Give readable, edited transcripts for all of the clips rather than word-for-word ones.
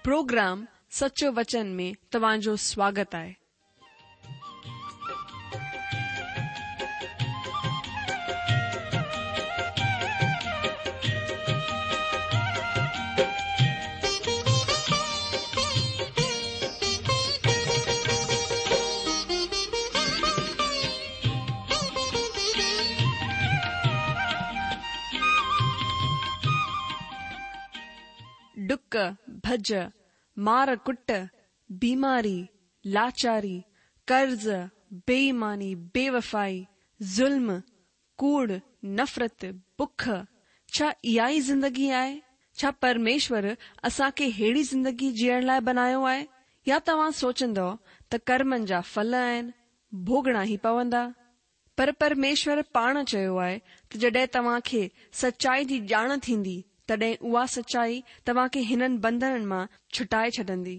Programme سچو وچن ۾ توهان جو سواگت آهي. ڊڪ، ڀڄ، مار ڪٽ، بيماري، لاچاري، قرض، بي ايماني، بي وفائي، ظلم، ڪوڙ، نفرت، بک، ڇا اها ئي زندگي آهي؟ ڇا پرميشور اسان کي ههڙي زندگي جيئڻ لاء بنايو آهي؟ يا توهان سوچيندؤ ته ڪرمن جا ڦل آهن، ڀوڳڻا ئي پوندا؟ پر پرميشور پاڻ چيو آهي ته جڏهن توهان کي سچائي جي ڄاڻ ٿيندي، تڏهن اها سچائي توهان کي هنن بنڌنن مان ڇٽائي ڇڏندي.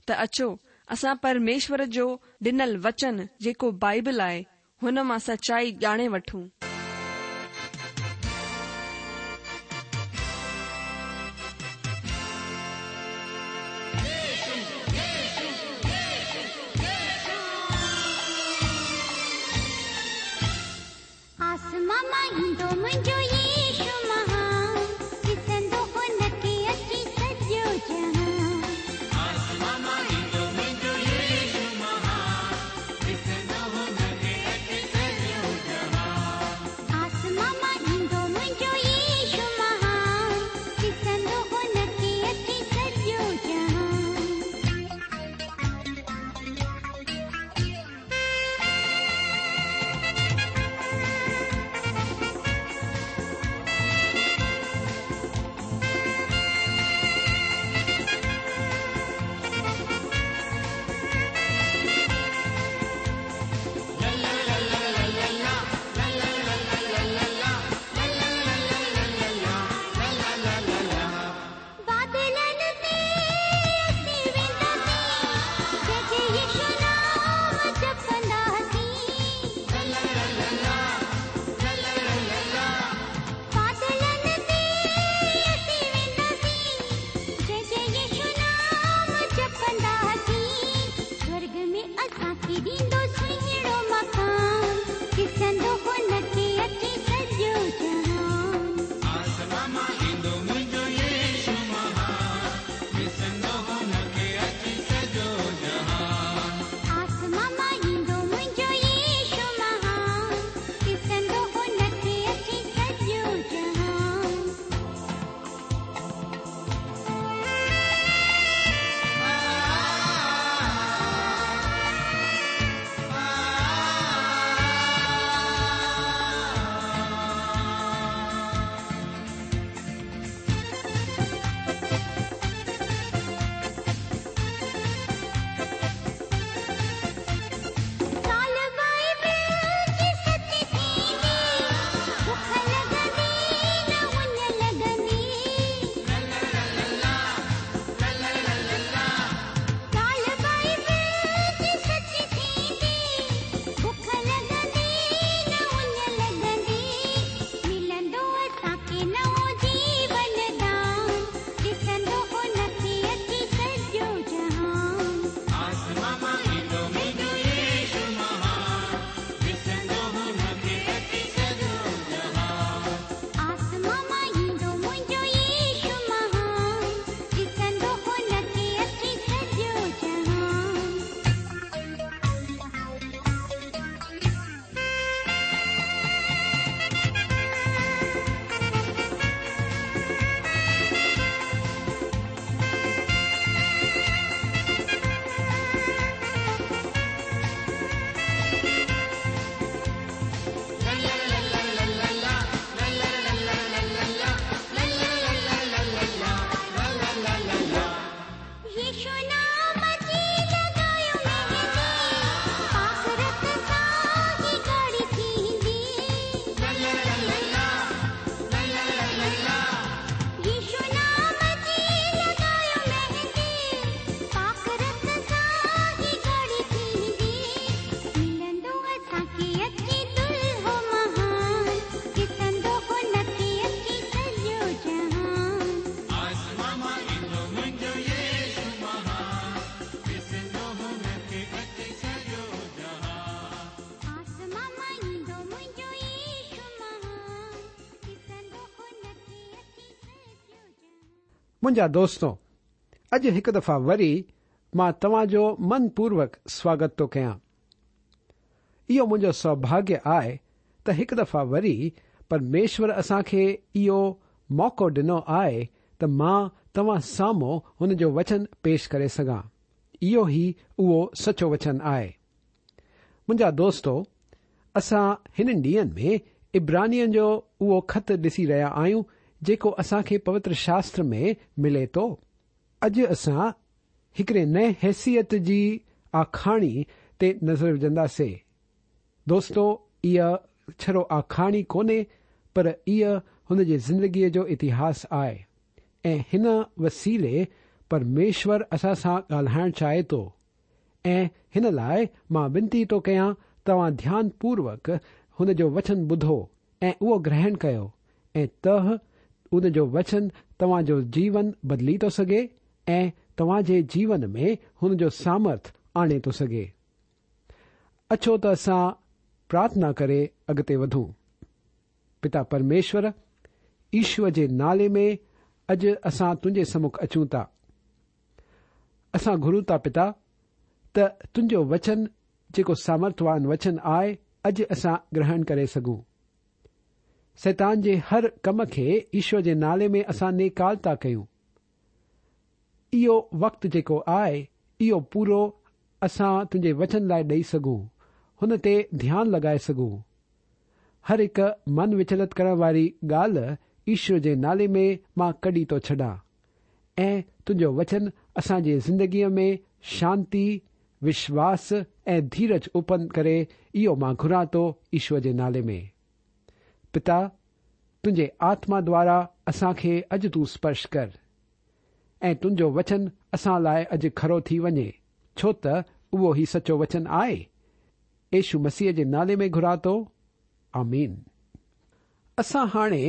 ته اچو، اسان پرميشور جو ڏنل وچن جيڪو بائيبل آهي، هن مان سچائي ڄاڻي وٺون. آسمان مان ايندو منهنجو يسوع مهان، ڏسندو هن کي اچي سڄو جهان. آسمان مان ايندو منهنجو يسوع مهان، ڏسندو هن کي اچي سڄو جهان. منهنجا دوستو، اڄ هڪ دفعا وري مان توهان جو من پوروڪ سواگت ٿو ڪيان. اهو منهنجو سوڀاگيه آهي ته هڪ دفعا وري پرميشور اسان کي اهو موقعو ڏنو آهي ته مان توهان سامهون هن جو وچن پيش ڪري سگهان. اهو ئي اهو سچو وچن آهي. منهنجا دوستو، اسان هنن ڏينهن ۾ عبرانين جو اهو خط ڏسي رهيا آهيون جيڪو اسان کي پوتر شاستر ۾ ملي ٿو. اڄ اسان هڪڙي نئين حيثيت جي آکاڻي تي نظر وجهنداسي. دوستو اها ڇڙو آکاڻي ڪونهي پر اها هن جي زندگيء جو اتهاس آهي ۽ هن وسيلي پرميشور اسان سان ڳالهائڻ چاهي ٿو ۽ هن لاء مان ونتي ٿو ڪيان توهان ڌيان پوروڪ هن جو وچن ٻڌو ۽ اهو گرهڻ ڪيو ۽ ته ان جو وچن توهان جو جيون بدلي ٿو سگهي ۽ توهان جي جيون ۾ هن جو سامرٿ آڻي ٿو سگهي. اچو ته اسان پرارٿنا ڪري اڳتي وڌون. پتا پرميشور، يشوء جي نالي ۾ اڄ اسان تنهنجي سمک اچون ٿا. اسان گهرون ٿا پتا ته تنهنجو وچن جيڪو سامرٿوان وچن آهي اڄ اسان گرهڻ ڪري سگهون. شيطان جي هر ڪم کي يشوء جي نالي ۾ اسان نيڪال ٿا ڪيون. اهو وقت جيڪو آهي اهو پورو اسان تنهنجي وچن لاء ڏئي سگهون، هن تي ڌيان لڳائي سگهون. هر هڪ من وچلت ڪرڻ واري ڳالهه يشوء جي نالي ۾ مان ڪڍي ٿو ڇڏان. ۽ تنهنجو وچن اسان جي زندگيء ۾ شانتي، وشواس ۽ ڌيرج اتپن ڪري اهو مان گهران ٿو يشوء جي نالي ۾. پتا، تنهنجي آتما دوارا اسان کي اڄ تون سپرش ڪر ۽ تنهنجو وچن اسان لاء اڄ کرو ٿي وڃي ڇو ته اهو ئي سچو وچن آهي. يشو مسيح جي نالي ۾ گهران ٿو. آمين. اسان هاڻي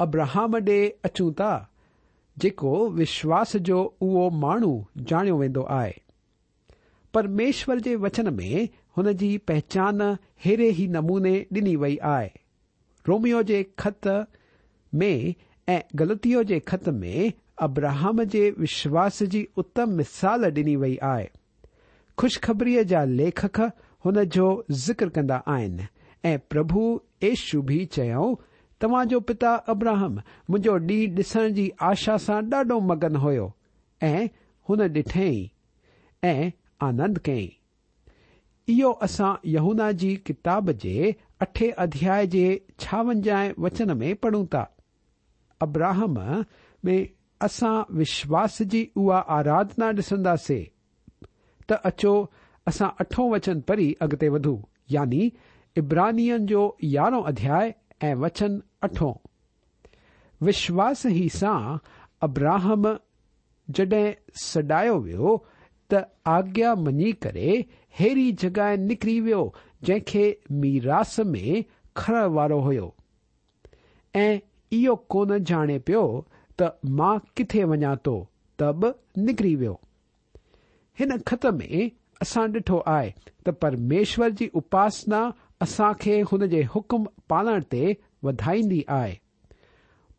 ابراهام ڏي اچون ٿا، جيڪو وشواس جو اهو ماڻهو ڄاڻيو ويندو آهي. پرميشور جي وچن ۾ هن جي پهچان ههڙي ئي نموني ڏني وئي آهي. روميو جي خط ۾ ۽ گلتيو جي خط ۾ ابراهام جي وشواس جي اتم مثال ڏني وئي آهي. خوشخبريء جا ليکڪ هن جو ذڪر ڪندا آهن ۽ پرڀو يشو به چيائون، توهان جو پتا ابراهم منهنجو ڏينهن ڏسڻ جي آشا سان ڏاڍو مگن هيو ۽ هن ڏٺئين ۽ آنند ڪيائين. اهو اسان يوحنا جي ڪتاب جي اٺين اڌياء جي ڇاونجاهين وچن ۾ پڙهون ٿا. ابراهم ۾ اسان وشواس جي اها آراڌنا ڏسنداسي ته اچو اسان اٺون وچن پڙهي اڳتي وڌون يعني عبرانين جو يارهون اڌياء ۽ وچن اٺون. وشواس ئي سان ابراهم جڏهن سڏايو ويو ته آگيا مڃي ڪري ههڙي جڳهه نڪري ويو جنهن کي ميراث ۾ کڻڻ وارو هيو. ۽ اهو ڪونه ڄاڻي پيو ته مان ڪٿي وڃان ٿو ته به نڪري ويو. هن خط ۾ اسان ڏٺو آهي ته پرميشور جي اپاسنا اسان کي هن جي حڪم پالڻ تي وڌائيندي آهي.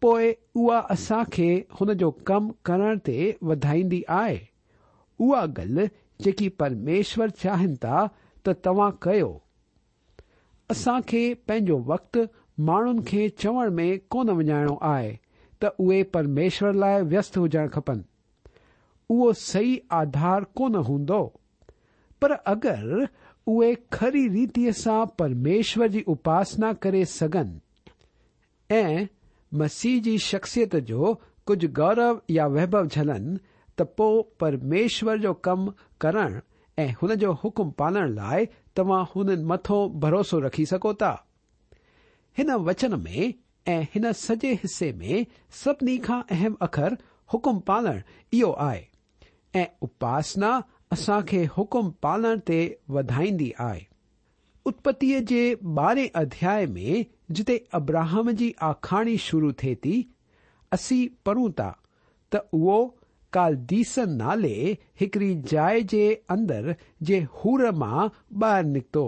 پوء اها اسان کي هن جو ڪم ڪرڻ تي وڌائيندي آهي. اها ڳالهه جيڪي پرميشور چاهين ٿا ته توهان ڪيو. اسان کي پنهنجو وقت ماڻهن کي چوڻ ۾ ڪونه وڃائڻو آهي ته اهي پرميشور لاء ويست هجڻ کپن. اهو صحيح آڌار ڪونه هوندو. پر اگر اهي کري ريتيء سان پرميشور جي اپاسنا ڪري سگهن ۽ مسيح جي شخصيت جو ڪجهه گورو يا ويڀو جهلن ته پوء پرميشور جو ڪم ڪرڻ ۽ هن جو حڪم پالڻ لاء توهان هنن مٿون ڀروسو رکي سگهو ٿا. هن وچن ۾ ۽ هن سڄي حصي ۾ سڀني کان اهم اکر حڪم پالڻ اهو آهي ۽ اپاسنا اسان کي حڪم پالڻ تي وڌائيندي آهي. اتپتيء جي ٻارهين اڌياء ۾ جتي ابراهم جي آکاڻي شروع ٿئي ٿي، اسين پڙهون ٿا ته اهو ڪالديس نالي هڪڙي جاء جي اندر جي اور مان ٻاهر نڪتو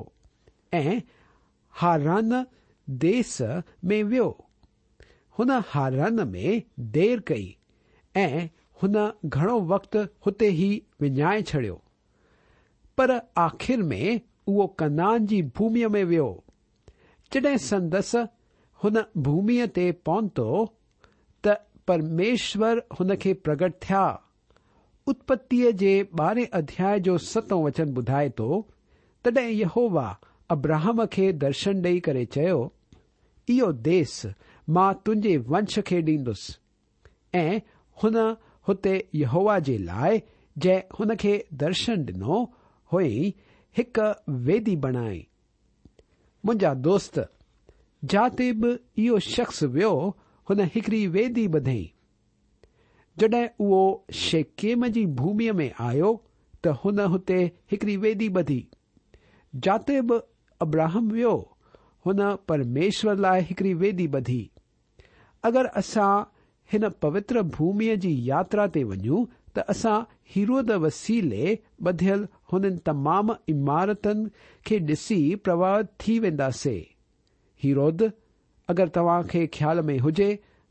۽ هاران ديس ۾ ويو. هن هاران ۾ دير ڪئي ۽ هن گهڻو وقت هتي ئي وڃائي ڇڏيو. پر آخر ۾ اهو ڪنعان جي ڀوميء ۾ ويو. جڏهن سندس هن ڀوميء تي پهتو ته پرميشور هن کي پرگٽ ٿيا. اتپتيء جي ٻارهين اڌياء جو ستون وچن ٻڌائي ٿو، تڏهن يهوه ابراهم کي درشن ڏيئي ڪري چيو، اهو ديس مان تنهنجي ونش کي ڏيندس. ۽ هن هتي يهوه جي لاء جنهن هن کي درشن ڏنو هئائين هڪ ويدي بڻائي. منهنجا دوست، جاتي به اهو شخص ويو هن هڪڙي ويدي ٻڌئي. جڏهن اهو شيڪيم جي ڀوميء ۾ آيو ته هن هتي هڪڙي ويدي ٻڌي. جاتي به ابراهم ويو، هن پرميشور لاء هڪڙي ويدي ٻڌي. اگر اسان هن پوتر ڀوميء جي ياترا تي وڃون ته اسان هيرود وسيلي ٻڌيل هنن تمام عمارتن کي ڏسي پرڀاوت ٿي وينداسي. هيرود، اگر توهان کي خيال ۾ هجي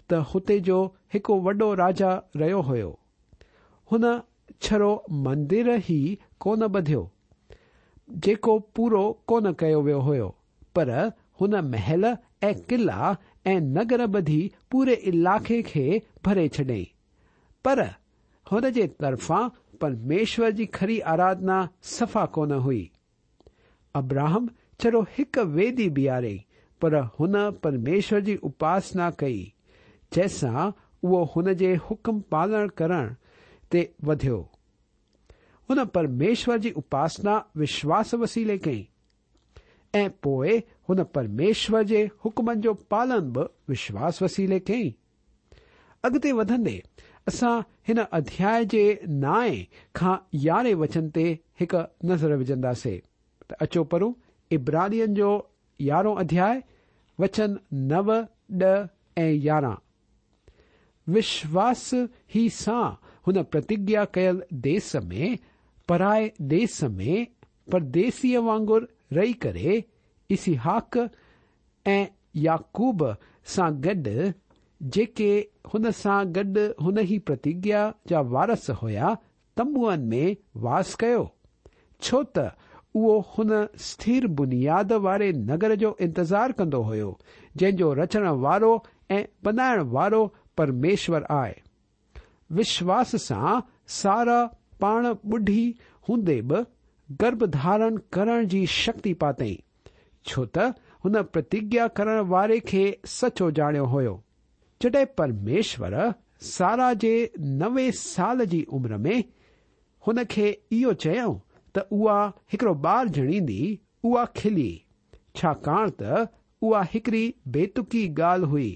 ته هتي جو هڪ وڏو راجا رهيو هيو. هن ڇڙو مندر ئي ڪونه ٻڌيو، جيڪو پورو ڪونه ڪيو ويو هيو، پر هن محل ۽ قلعا ۽ نگر ٻڌي پوري علائقي کي ڀري ڇڏيائين. پر هن جي طرفان پرميشور جي کري آراڌنا صفا ڪونه هئي. ابراهم ڇڙو هڪ ويدي بيهاريائين، پر هن پرميشور جي اپاسنا ڪئي، جنهن سان اهو هن جي حڪم پالڻ ڪرڻ تي وڌيو. هن پرميشور جي اپاسنا وشواس وسيلي ڪئي. ۽ پوء هن پرميشور جي حڪمن جو پالن به وشواس وسيلي ڪيائين. اڳتي وڌندي اسان هن اڌياء جي نائين کان يارهين وچن تي هڪ نظر وجهنداسي ته اچو پڙهون عبرانين جو يارهون اڌياء وچن نو، ڏهه ۽ 11. وشواس ئي سان هن پرتگيا ڪيل ديس ۾، پرائي ديس ۾، پرديسيء وانگر رهي ڪري، اسحاق ۽ يعقوب سان گڏ، جيڪي هن سان گڏ هن ئي پرتگيا جا وارث هيا، تنبوئن ۾ واس ڪيو، ڇو ته اهو هن سٿر بنياد واري نگر جو انتظار ڪندو هيو، جنهن جو رچڻ وارو ۽ بنائڻ وارو پرميشور آهي. وشواس سان سارا پاڻ ٻڍي هوندي به گرڀ ڌارڻ ڪرڻ جي شڪتي پاتئين، ڇو ته هن پرتگيا ڪرڻ واري کي سچو ڄاڻيو هيو. جڏهن پرميشور سارا جي 90 سال جي عمر ۾ هن کي اهو چيائون ته اها هڪڙو ٻار ڄڻيندي، اها کلي، ڇاڪاڻ ته اها هڪڙي بيتڪي ڳالهه هئي.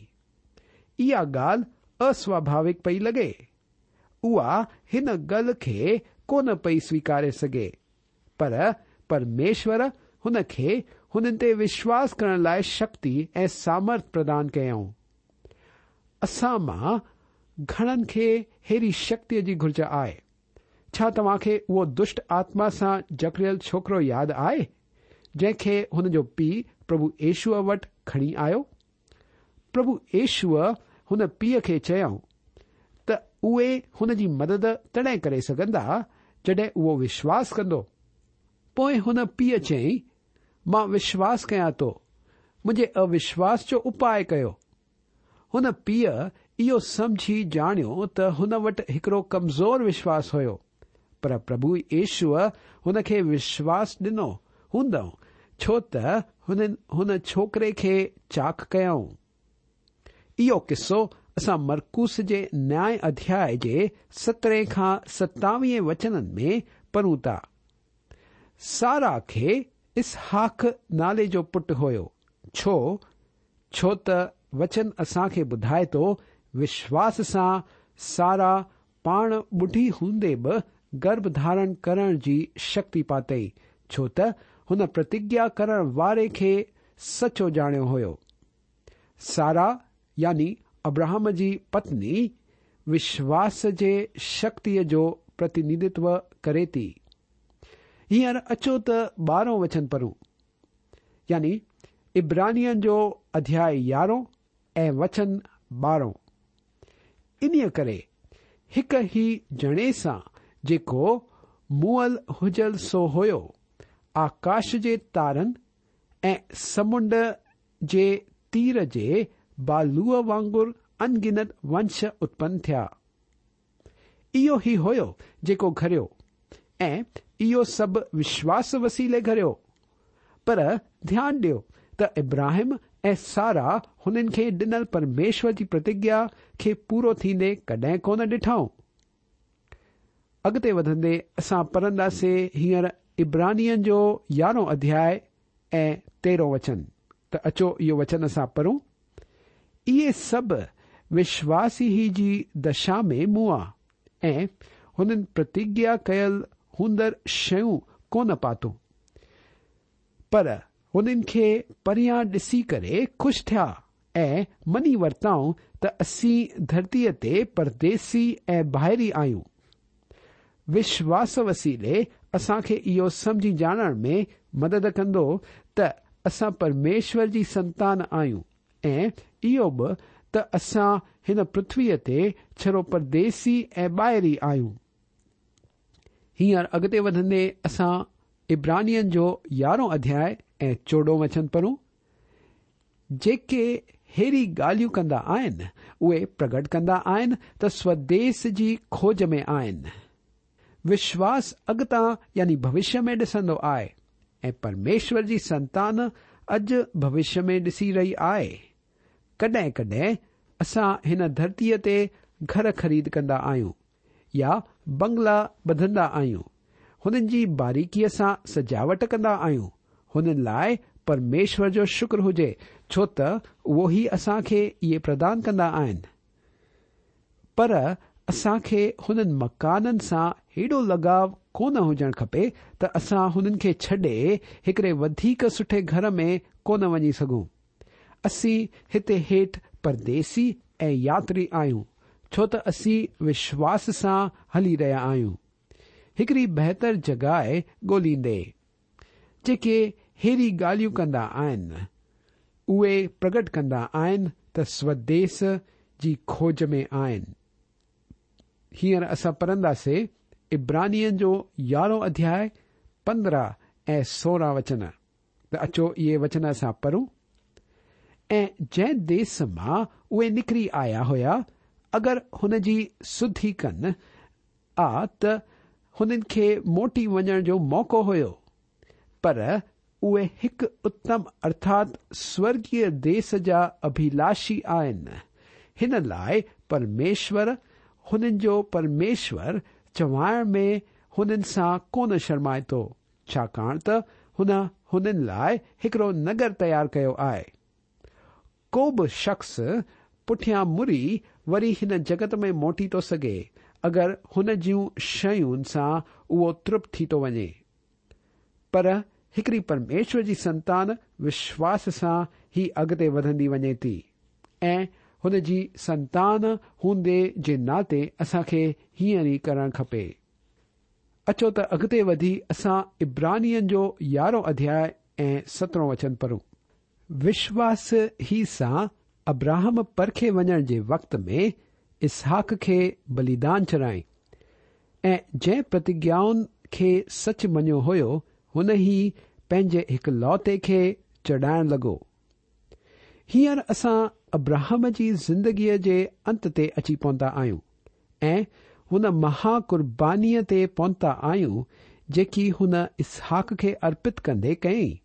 اها ڳالهه اسواڀاوڪ پئي لڳي. اها هن ڳالهه کي ڪونه پئي سويڪاري سگهي. پر پرميشور هن کي هنن تي وشواس ڪرڻ لاء شڪتي ۽ سامرٿ پردان ڪيائون. اسان مان گهڻن کي ههڙي شڪتيء جي گهرج آهي. ڇا توهان کي اهو دشٽ آتما سان جڪڙيل ڇوڪرو ياد آهي، جنهن کي هن جو پيء پرڀو يشوع وٽ کڻي آيو؟ پرڀو يشوع هن پيء کي چيائون ته اهي هن جي مدد تڏهن ڪري سگهندا جڏهن اهو وشواس ڪندو. پوء هن پيء چيائين، مان وشواس ڪيان ٿو، منهنجي اوشواس جو اپاء ڪيو. هن پيء اهو سمجهي ڄاڻيو ته هن وٽ هڪڙو ڪمزور وشواس هيو، پر پرڀو يشوع هن کي وشواس ڏنو هوندو ڇو ته هنن هن ڇوڪري کي چاڪ ڪيائون. اهو قصو اسان مرقوس جي نائين اڌياء جي سترهين کان ستاويهين وچنن ۾ پڙهون ٿا. سارا کي اسحاق نالي جو پٽ هيو. ڇو؟ ڇو ته وچن اسان کي ٻڌائي ٿو وشواس سان سارا پاڻ ٻڍي هوندي به گرڀ ڌارڻ ڪرڻ جي شڪتي پاتئي، ڇو ته هن پرتگيا ڪرڻ واري کي سچو ڄاڻيو هيو. سارا يعني ابراهم جي پتني وشواس جي شڪتيء جو پرتينڌتو ڪري ٿي. هينئر اچو ته ٻارهون وچن پڙهون. يعني عبرانين جو اڌياء 11 ۽ وچن 12. انهيء ڪري هڪ ئي ڄڻي سان جيڪو مئل هجل سو هيو، آڪاش جي تارن ۽ سمنڊ جي تير جي بالوء وانگر انگنت ونش اتپن ٿيا. اهو ئي هيو جيڪو گهريو ۽ اهو سڀ وشواس وسيلي گهريو. پر ڌيان ڏيو ته ابراهيم ۽ سارا هنن کي ڏنل پرميشور جي پرتگيا کي پورو ٿيندي ڪڏهن ڪونه ڏٺائون. اڳتي وڌندي اسان پڙهنداسين هينئر عبرانين جو يارهون اڌياء ۽ تيرهون وچن ته اچو اهو وچن اسان پڙهون. اهي سڀ وشواس ئي جي دشا ۾ مئا ۽ هنن پرتگيا ڪيل هوندڙ شيون ڪونه پاتون، پر هنن کي پريان ڏسي ڪري خوش ٿيا ۽ مڃي ورتائون ته اسين ڌرتيء تي پرديسي ۽ ٻاهري آهيون. وشواس وسيلي اسان کي اهو سمجهي ڄاڻڻ ۾ مدد ڪندو ته اسان پرميشور جي سنتان آهيون ۽ اهو به ته اسان هن پرٿويء تي ڇڙو پرديسي ۽ ٻاهري آهيون. هينئر اڳتي وڌندي اسان عبرانين جو يارهون اڌياء ۽ چوڏهون وچن پڙهون. جيڪي ههڙي ڳالهيون ڪندا آهن، اهي پرگٽ ڪندا آهن ته سوديس جي کوج ۾ آهن. وشواس اڳتان يعني ڀوشيه ۾ ڏسندو آهي ۽ پرميشور جي سنتان اڄ ڀوشيه ۾ ڏسي رهي آهي. ڪڏهن ڪڏهن اسان هن ڌرتيء تي گهر خريد ڪندا آهيون يا بنگلا ٻڌندا آهيون، هنن جي باريڪيء سان سجاوٽ ڪندا آهيون، هنن لاء پرميشور جو شڪر هجي ڇو ته اهو ئي اسان کي اهي پردان ڪندا آهن. پر اسان کي هنن مڪانن سان هيڏو لڳاء ڪونه هجڻ کپي ته اسان هنن کي ڇڏي هڪڙي وڌيڪ سٺي گهر ۾ ڪونه وڃي سگهون. اسين هتي هيٺ پرديسي ۽ ياتري آهيون، ڇو ته اسين وشواس سان هلي رهيا آهيون. هڪڙي بهتر جڳهه ڳوليندي. جيڪي ههڙي ڳالهيون ڪندا آهن، اهي پرگٽ ڪندا آهن ته سوديس جي کوج ۾ آهن. هينئر اسان پڙهنداسي عبرانين جو يارهون اڌياء 15 ۽ 16 وچن. ته اچو اهي وچن اسان پڙهون. ۽ جنهن ديس مان اهي نڪري آيا هيا، اگر هن جي سڌي ڪن ها ته هنن کي موٽي وڃڻ جو موقعو هيو، پر اهي هڪ اتم ارٿات سورڳيه ديس جا اڀلاشي آهن، هن لاء پرميشور هنن جو پرميشور چوائڻ ۾ هنن سان ڪونه شرمائي ٿو، ڇاڪاڻ ته هن هنن لاء هڪڙو نگر تيار ڪيو آهي. ڪو به شخص پٺيان مڙي وري هن جڳت ۾ موٽي ٿو سگهي اگر هن جون شين سان اهو ترپت ٿي ٿو وڃي. پر هڪڙي پرميشور جي سنتان وشواس سان هي اڳتي وڌندي وڃي ٿي ۽ هن جي سنتان هوندي جي ناتي اسان کي هيئن ئي ڪرڻ کپي. اچو ته اڳتي وڌي اسان عبرانين جو يارهون اڌياء ۽ سترهون وچن پڙهون. وشواس ئي سان ابراهم پرکي وڃڻ جي وقت ۾ اسحاق کي بليدان چڙهائين ۽ جنهن پرتگيائن کي سچ مڃيو هيو هن ئي پنهنجي هڪلوتي کي چڙهائڻ لڳو. هينئر اسان ابراهم جي زندگيء جي انت تي اچي پهتا آهيون ۽ هن مها قربانيء تي پهتا آهيون جيڪي هن اسحاق کي ارپت ڪندي ڪيائين.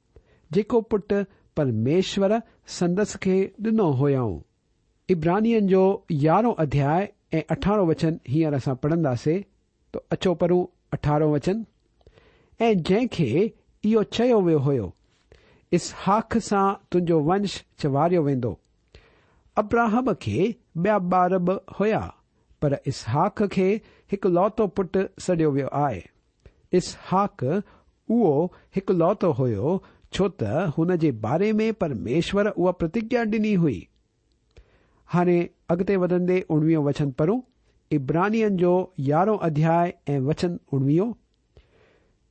جيڪو پٽ پرميشور سندس کي ڏنو هيائون. عبرانين جو يارهون اڌياء ۽ اٺارهون وچن هينئر اسان پڙهنداسي ته اچو پڙهون اٺارهون وچن، ۽ جنهن کي اهو چيو ويو هيو، اسحاق سان تنهنجو ونش چواريو ويندو. ابراهم کي ٻيا ٻار به هيا، پر اسحاق کي هڪلوتو پٽ سڏيو ويو آهي. اسحاق اهو هڪلوتو هيو ڇو ته هن جي باري ۾ پرميشور اها پرتگيا ڏني هئي. هاڻي اڳتي وڌندي اڻويهون وچن پڙهون، عبرانين جو يارهون اڌياء ۽ وچن اڻويهون،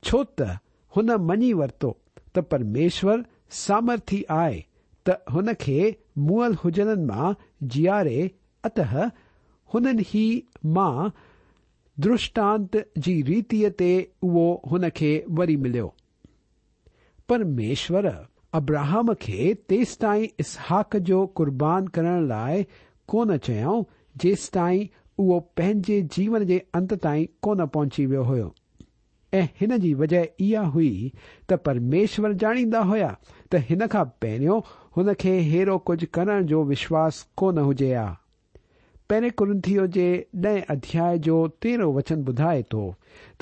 ڇو ته هن مڃي ورتو ته پرميشور سامرٿي آهي ته هن کي مئل هجڻن مان جياري اتهه هنن ئي مان. درشٽانت جي ريتيء تي اهو هن کي وري مليو. پرميشور ابراهام کي تيستائين اسحاق جو قربان ڪرڻ لاء ڪونه چيائون جيستائين اهو پنهنجي جيون جي انت تائين ڪونه پهچي ويو هيو. ۽ هن جي وجهه اها هئي ته پرميشور ڄاڻيندا هيا ته هن کان پهريون هن کي ههڙو ڪجهه ڪرڻ جو وشواس ڪونه هجي ها. پهرين ڪرنٿيو جي ڏهين اڌياء جو تيرهون وچن ٻڌائي ٿو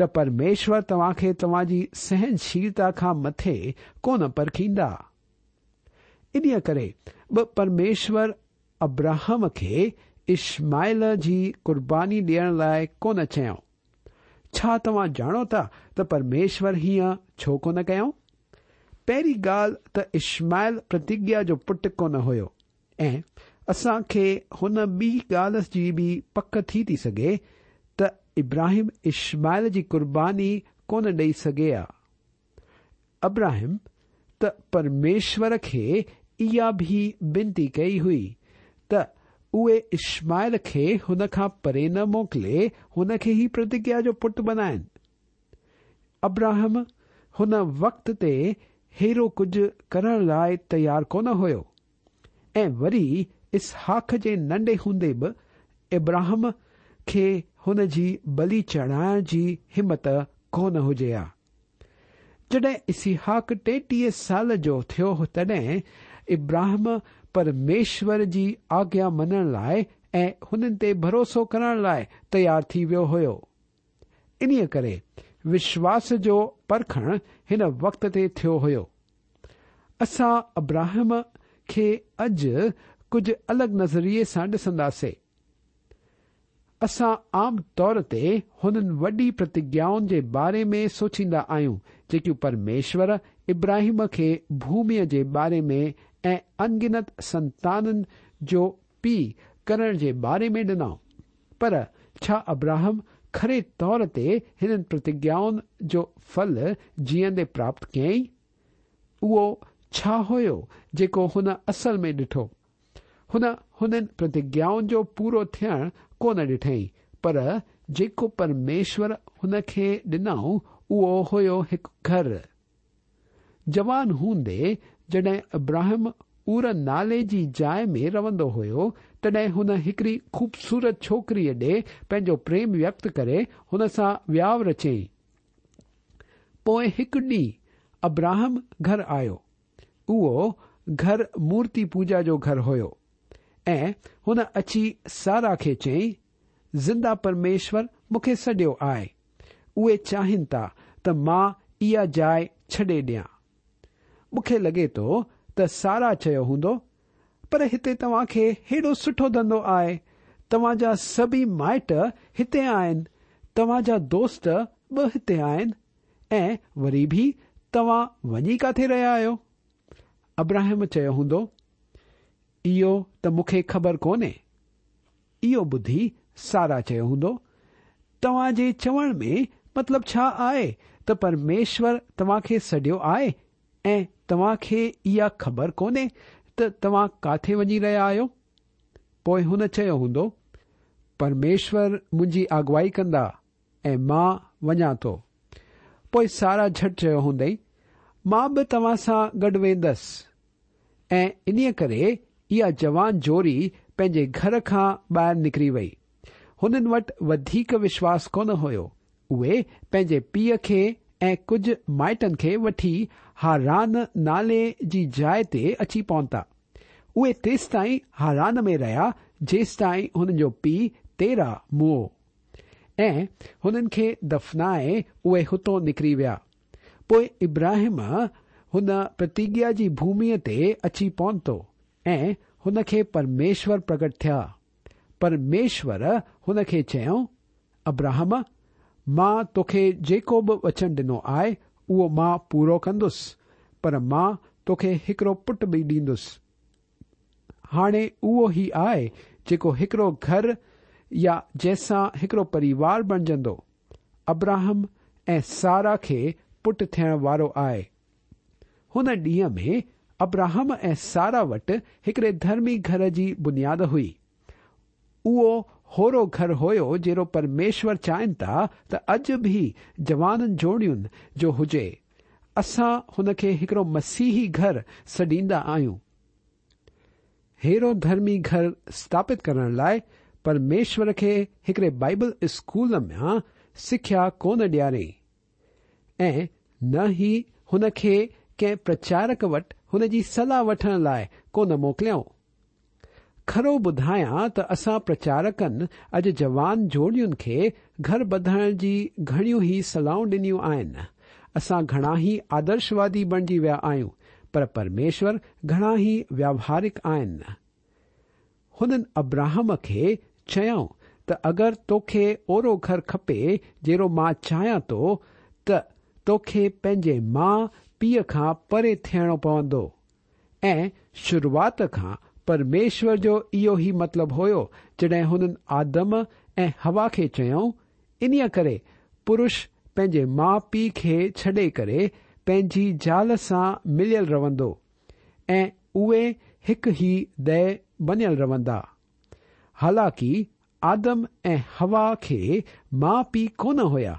ته پرميشور توهان کي توهان جي سهنشيلتا کان مٿي ڪونه پرکيندا. انهيء ڪري به پرميشور ابراهم کي اشماعيل جي قرباني ڏيڻ لاء ڪونه چيائون. ڇا توهان ڄاڻو ٿا ته پرميشور هيئن ڇو ڪونه ڪيائون؟ پهرين ڳالهه ته اشماعيل پرتگيا جو پٽ ڪونه هيو. ۽ اسان کي هن ٻي ڳالهه جي به پڪ ٿي ٿي سگهي ته ابراهيم اشماعيل جي قرباني ڪونه ڏئي سگهي ها. ابراهيم ته پرميشور کي اها به بنتي ڪئي هئي ته اهي اشماعيل کي هن کان پري نه موڪلي هن کي ئي پرتگيا جو پٽ بنائن. ابراهم هن وقت تي ههڙو ڪجهه ڪرڻ لاء تيار ڪونه هيو. ۽ وري اسحاق جي ننڍي هوندي به ابراهم کي هن جي بلي چڙهائڻ جي همت ڪونه هجي ها. جڏهن اسحاق 33 سال جو ٿيو تڏهن ابراهم پرميشور جي آگيا مڃڻ لاء ۽ هنن تي ڀروسو ڪرڻ لاء تيار ٿي ويو هيو. انهيء ڪري وشواس جو پرکڻ هن وقت تي ٿيو هيو. اسان ابراهم کي اڄ ڪجهه الڳ نظريي سان ڏسنداسي. اسان عام طور تي هنن وڏي پرتگيائن جي باري ۾ سوچيندا آهيون جيڪيون پرميشور ابراهيم کي ڀوميء جي باري ۾ ۽ انگنت سنتانن جو پيء ڪرڻ جي باري ۾ ڏنائون. پر ڇا ابراهم کري طور تي هنن پرتگيائن جو ڦل جيئندي پراپت ڪيائين؟ اهو ڇا هيو جيڪو هن اصل ۾ ڏٺو؟ هن هنن پرتگيائن جو پورو ٿيڻ ڪونه ڏٺائين، پر جيڪو پرميشور هن کي ڏنائون اهو هيو هڪ گهر. جوان هوندي جڏهن ابراهم اور نالي جي جاء ۾ رهندو هيو، تڏهن هن هڪڙي خوبصورت ڇوڪريء ڏي پنهنجو پريم ويڪت ڪري هن سان وياء رچيائين. پوء هڪ ڏينهن ابراهم گهر آيو. اهو گهر مورتي پوڄا جو گهر هيو ۽ هن اچي سارا کي چيائين، زنده پرميشور مون کي سڏيو آهي. اهي چاهين ٿا ته مان اها جاء ڇڏي ڏيان. مون کي لڳي ٿو ته سارا چيو هوندو، پر هتي توهان کي هيڏو سٺو ڌنڌو آهي، توهان جا سڀئي مائٽ هتي آهن، توهان جا دوست به هتي آهن ۽ وري به توهان وڃي ڪاٿي رهيا آهيو؟ ابراهيم چيو هوندو، اهو ته مون کي خبر ڪونهي. اهو ٻڌي سارا چيو هوندو، توهان جي چوڻ ۾ مطلب ڇا آهي ته پرميشور توهان کي سڏيو آهي ۽ توهان کي اها خبر ڪونهي ته توهان ڪاٿي وڃي رهيا آهيو؟ پوء هن چيو هوندو، پرميشور منهنجي اڳوائي ڪندا ۽ مان وڃان ٿو. پوء سارا جهٽ چيو هوندئي، مان به توهان سان گڏ ويندس. ۽ انهيء ڪري اها جوان جوڙي پنهنجي گهر کان ٻاهر نڪري وئي. هنن وٽ وڌيڪ وشواس ڪونه هيو. اهي پنهنجي پيء کي ۽ ڪجهه مائٽن کي وٺي هاران نالي جي جاء تي اچي پهتا. اهي تيستائين هاران ۾ رهيا جيستائين هنن جو پيء تيراه مئو ۽ هنن کي دفنائي اهي هتون نڪري ويا. پوء ابراهيم هن پرتگيا جي ڀوميء تي اچي پهتو ۽ هن کي پرميشور پرگٽ ٿيا. پرميشور هن کي چيو، ابراهم، مان توکي جيڪو به وچن ڏنو آهي، اهو مان پورو ڪندس، پر مان توکي هڪڙو پٽ به ڏيندس. هاڻي اهو ئي آهي جيڪو هڪڙو گهر يا جنهن سان هڪڙو پريوار بڻجندو. ابراهم ۽ سارا کي پٽ ٿيڻ وارو آهي. هن ڏينهن ۾ ابراهم ۽ سارا وٽ هڪڙي ڌرمي گهر جي بنياد هئي. اهو هورو گهر هيو جهڙو پرميشور چاهين ٿا ته اڄ به جوانن جوڙين جو هجي. اسان هن کي هڪڙو مسيحي گهر سڏيندا آهيون. ههڙو ڌرمي گهر اسٿاپت ڪرڻ لاء پرميشور کي هڪڙي بائيبل اسڪول مان سکيا ڪونه ڏياري ۽ نه ئي هن کي ڪنهن پرچارڪ وٽ هن جي صلاح وٺڻ لاء ڪونه موڪليائون. کرو ٻڌايان ته اسان پرچارڪن اڄ جوان جوڙين کي گهر ٻڌڻ جي گهڻيون ئي صلاحون ڏنيون آهن. اسان گهڻا ئي آدرشوادي بڻجي ويا آهيون، پر پرميشور گهڻا ئي وياوهارڪ آهن. هنن ابراهم کي چيائون ته اگر توکي اهڙو گهر کپي جهڙو مان چاهيان ٿو ته توکي پنهنجي ماء پيء کان پري ٿيڻو پوندو. ۽ شروعات کان پرميشور جو اهو ئي مطلب هيو جڏهن هنن آدم ۽ حوا کي چيائون، انهيء ڪري پرش پنهنجي ماء پيء کي ڇڏي ڪري پنهنجي زال سان مليل رهندو ۽ اهي هڪ ئي ديهه بنيل رهندا. حالانڪه آدم ۽ حوا کي ماء پيء ڪونه هيا،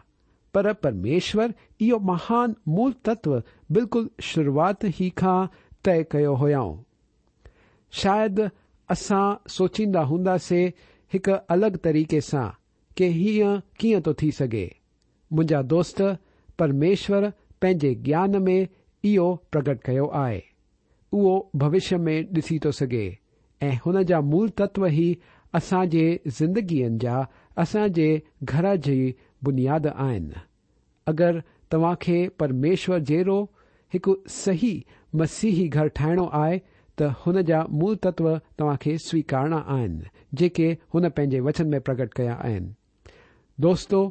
پر پرميشور اهو مهان مول تتو بلڪل شروعات ئي کان طئي ڪيو هيائون. شايد اسان سوچيندا هونداسي هڪ الڳ طريقي سان ڪي هيئن ڪيئن ٿو ٿي سگهي. منهنجا دوست، پرميشور پنهنجي گيان ۾ اهو پرگٽ ڪيو آهي. اهو ڀوشيه ۾ ڏسي ٿو سگهي ۽ هن جا مول تتو ئي اسان جي زندگين جا اسان جي گهر جي بنياد آهن. اگر توهان کي پرميشور جهڙو هڪ صحيح مسيحي گهر ٺاهڻو آهي ته هن جا مول تتو توهان کي سويڪارڻا آهن جيڪي هن پنهنجي وچن ۾ پرگٽ ڪيا آهن. دوستو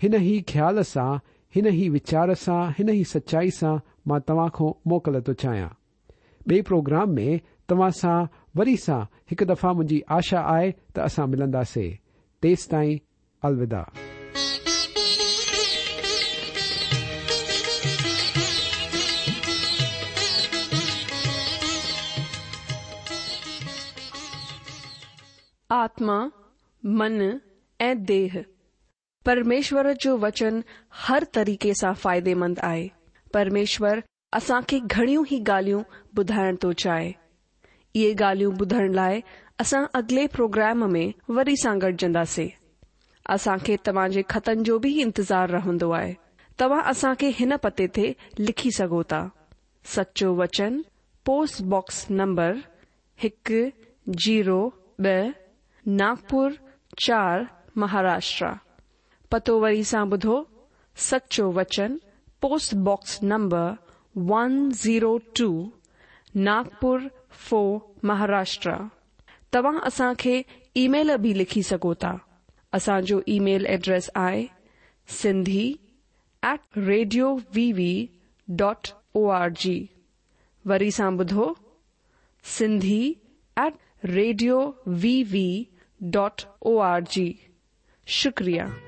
هن ئي خيال سان، هن ئي ويچار سان، هن ئي سچائي سان مان توهان کان موڪل ٿو چاهيان. ٻئي پروگرام ۾ توهان سان وري سان هڪ دفعا منهنجي آشا آهي ته اسان ملنداسي. تيستائين الوداع. آتما، من ۽ ديهه. پرميشور جو وچن هر طريقي سان فائديمند آهي. پرميشور اسان کي گهڻيون ئي ڳالهيون ٻڌائڻ ٿو چاهي. اهي ڳالهيون ٻڌڻ لاء اسان اڳلي پروگرام ۾ وري سان گڏجنداسي. اسان کي توهان جي خطن جو به انتظار رهندو آهي. توهان اسان کي هن پتي تي لکي سگهو ٿا. سچو وچن، پوسٽ باڪس نمبر هڪ زيرو ٻه، ناگپور چار مهاراشٽرا. پتو وري سان ٻڌو، سچو وچن، post box number one zero two, Nagpur four Maharashtra. توهان اسان کي اي ميل به لکي سگهو ٿا. اسان جو اي ميل ايڊريس آهي Sindhi at radio V V dot O R G. وري سان ٻڌو Sindhi at radio V V dot O R G شڪريه.